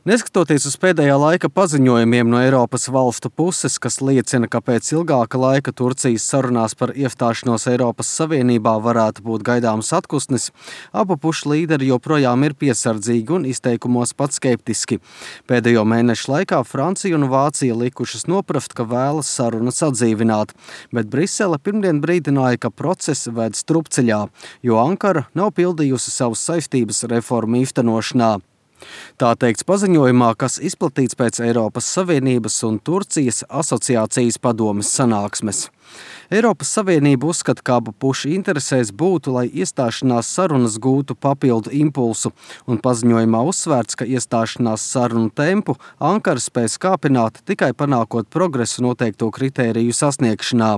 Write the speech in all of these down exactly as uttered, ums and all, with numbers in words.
Neskatoties uz pēdējā laika paziņojumiem no Eiropas valstu puses, kas liecina, ka pēc ilgāka laika Turcijas sarunās par iestāšanos Eiropas Savienībā varētu būt gaidāms atpūsnis, abu pušu līderi joprojām ir piesardzīgi un izteikumos pat skeptiski. Pēdējo mēnešu laikā Francija un Vācija likušas noprast, ka vēlas sarunas atdzīvināt, bet Brisele pirmdien brīdināja, ka process ved strupceļā, jo Ankara nav pildījusi savas saistības reformu īstenošanā. Tā teikts paziņojumā, kas izplatīts pēc Eiropas Savienības un Turcijas asociācijas padomes sanāksmes. Eiropas Savienība uzskata, ka abu pušu interesēs būtu, lai iestāšanās sarunas gūtu papildu impulsu, un paziņojumā uzsvērts, ka iestāšanās sarunu tempu Ankara spēs kāpināt tikai panākot progresu noteikto kritēriju sasniegšanā.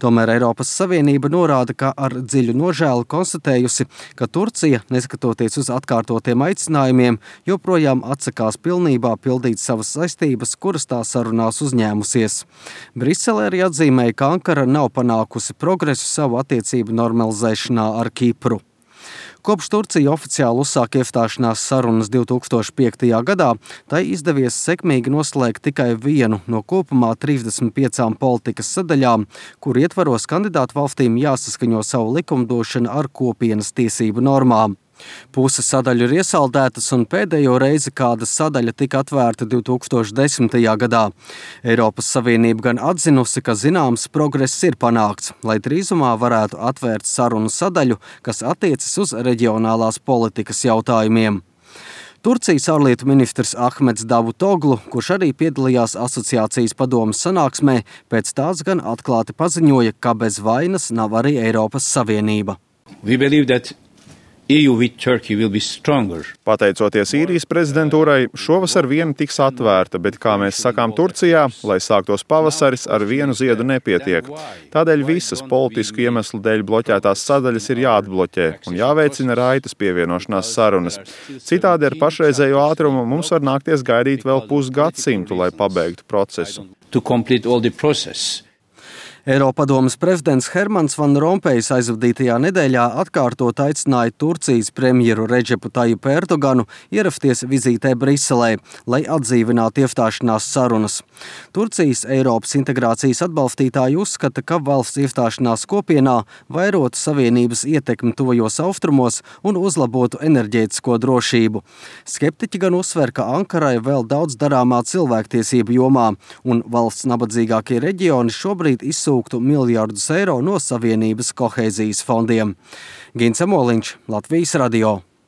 Tomēr Eiropas Savienība norāda, ka ar dziļu nožēlu konstatējusi, ka Turcija, neskatoties uz atkārtotiem aicinājumiem, joprojām atsakās pilnībā pildīt savas saistības, kuras tā sarunās uzņēmusies. Brisele arī atzīmēja, ka Ankara nav panākusi progresu savu attiecību normalizēšanā ar Kipru. Kopš Turcija oficiāli uzsāka iestāšanās sarunas divi tūkstoši piektajā gadā, tai izdevies sekmīgi noslēgt tikai vienu no kopumā trīsdesmit piecām politikas sadaļām, kur ietvaros kandidātu valstīm jāsaskaņo savu likumdošanu ar kopienas tiesību normām. Puses sadaļu ir iesaldētas un pēdējo reizi kāda sadaļa tika atvērta divi tūkstoši desmitajā gadā. Eiropas Savienība gan atzinusi, ka zināms progress ir panākts, lai drīzumā varētu atvērt sarunu sadaļu, kas attiecas uz reģionālās politikas jautājumiem. Turcijas ārlietu ministrs Ahmeds Davutoglu, kurš arī piedalījās asociācijas padomes sanāksmē, pēc tās gan atklāti paziņoja, ka bez vainas nav arī Eiropas Savienība. We believe that E U with Turkey will be stronger. Pateicoties īrijas prezidentūrai, šovasar viena tiks atvērta, bet, kā mēs sakām Turcijā, lai sāktos pavasaris, ar vienu ziedu nepietiek. Tādēļ visas politisku iemeslu dēļ bloķētās sadaļas ir jāatbloķē un jāveicina raitas pievienošanās sarunas. Citādi ar pašreizējo ātrumu mums var nākties gaidīt vēl pusgadsimtu, lai pabeigtu procesu. To complete all the process. Eiropadomes prezidents Hermans Van Rompējs aizvadītajā nedēļā atkārtot aicināja Turcijas premjeru Redžepu Tajipu Erdoganu ierasties vizītē Briselē, lai atdzīvinātu iestāšanās sarunas. Turcijas Eiropas integrācijas atbalstītāji uzskata, ka valsts iestāšanās kopienā vairotu savienības ietekmi tuvajos austrumos un uzlabotu enerģētisko drošību. Skeptiķi gan uzsver, ka Ankarai vēl daudz darāmā cilvēktiesību jomā, un valsts nabadzīgākie reģioni šobrīd izsūta miljardus eiro no Savienības kohēzijas fondiem. Gins Amoliņš, Latvijas radio.